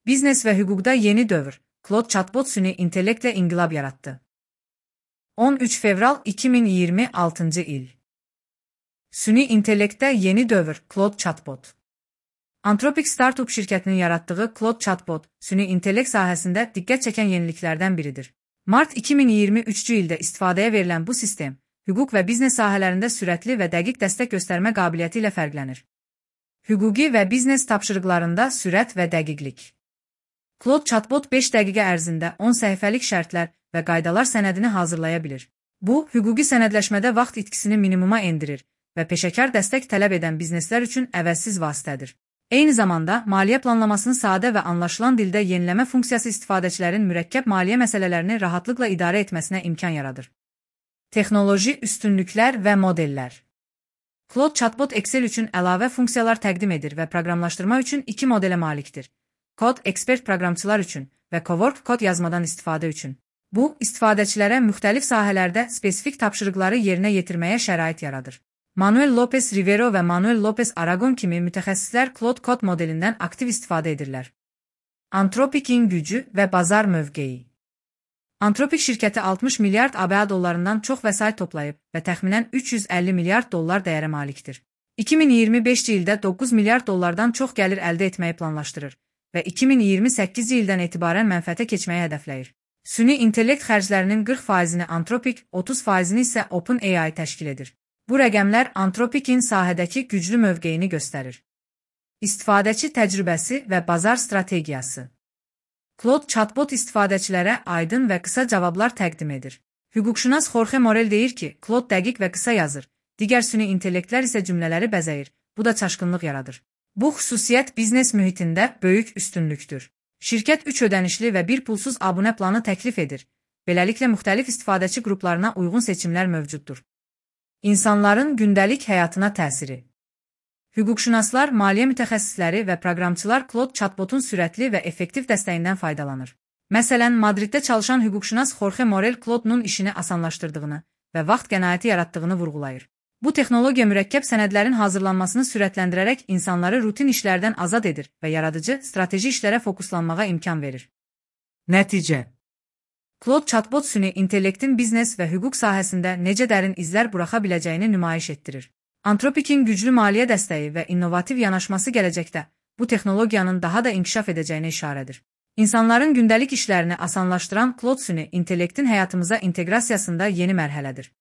Biznes və hüquqda yeni dövr. Claude chatbot süni intellektlə inqilab yaratdı. 13 fevral 2026 il. Süni intellektdə yeni dövr. Claude chatbot. Anthropic startup şirkətinin yaratdığı Claude chatbot, süni intellekt sahəsində diqqət çəkən yeniliklərdən biridir. Mart 2023-cü ildə istifadəyə verilən bu sistem, hüquq və biznes sahələrində sürətli və dəqiq dəstək göstərmə qabiliyyəti ilə fərqlənir. Hüquqi və biznes tapşırıqlarında sürət və dəqiqlik. Claude chatbot 5 dəqiqə ərzində 10 səhifəlik şərtlər və qaydalar sənədini hazırlaya bilir. Bu, hüquqi sənədləşmədə vaxt itkisini minimuma endirir və peşəkar dəstək tələb edən bizneslər üçün əvəzsiz vasitədir. Eyni zamanda, maliyyə planlamasını sadə və anlaşılan dildə yeniləmə funksiyası istifadəçilərin mürəkkəb maliyyə məsələlərini rahatlıqla idarə etməsinə imkan yaradır. Texnoloji üstünlüklər və modellər. Claude chatbot Excel üçün əlavə funksiyalar təqdim edir və proqramlaşdırma üçün 2 modelə malikdir. Kod ekspert proqramçılar üçün və Cowork kod yazmadan istifadə üçün. Bu, istifadəçilərə müxtəlif sahələrdə spesifik tapşırıqları yerinə yetirməyə şərait yaradır. Manuel Lopez Rivero və Manuel Lopez Aragon kimi mütəxəssislər Claude kod modelindən aktiv istifadə edirlər. Anthropic'in gücü və bazar mövqeyi. Anthropic şirkəti 60 milyard ABŞ dollarından çox vəsait toplayıb və təxminən 350 milyard dollar dəyərə malikdir. 2025 ildə 9 milyard dollardan çox gəlir əldə etməyi planlaşdırır və 2028 ildən etibarən mənfəətə keçməyi hədəfləyir. Süni intellekt xərclərinin 40%-ni Anthropic, 30%-ni isə OpenAI təşkil edir. Bu rəqəmlər Anthropic'in sahədəki güclü mövqeyini göstərir. İstifadəçi təcrübəsi və bazar strategiyası. Claude chatbot istifadəçilərə aydın və qısa cavablar təqdim edir. Hüquqşünas Jorge Morel deyir ki, Claude dəqiq və qısa yazır, digər süni intellektlər isə cümlələri bəzəyir, bu da çaşqınlıq yaradır. Bu xüsusiyyət biznes mühitində böyük üstünlükdür. Şirkət 3 ödənişli və 1 pulsuz abunə planı təklif edir. Beləliklə, müxtəlif istifadəçi qruplarına uyğun seçimlər mövcuddur. İnsanların gündəlik həyatına təsiri. Hüquqşünaslar, maliyyə mütəxəssisləri və proqramçılar Claude chatbotun sürətli və effektiv dəstəyindən faydalanır. Məsələn, Madriddə çalışan hüquqşünas Jorge Morel Claude'nun işini asanlaşdırdığını və vaxt qənaəti yaratdığını vurğulayır. Bu texnologiya mürəkkəb sənədlərin hazırlanmasını sürətləndirərək insanları rutin işlərdən azad edir və yaradıcı, strateji işlərə fokuslanmağa imkan verir. Nəticə. Claude chatbot süni intellektin biznes və hüquq sahəsində necə dərin izlər buraxa biləcəyini nümayiş etdirir. Anthropic'in güclü maliyyə dəstəyi və innovativ yanaşması gələcəkdə bu texnologiyanın daha da inkişaf edəcəyinə işarədir. İnsanların gündəlik işlərini asanlaşdıran Claude süni intellektin həyatımıza inteqrasiyasında yeni mərhələdir.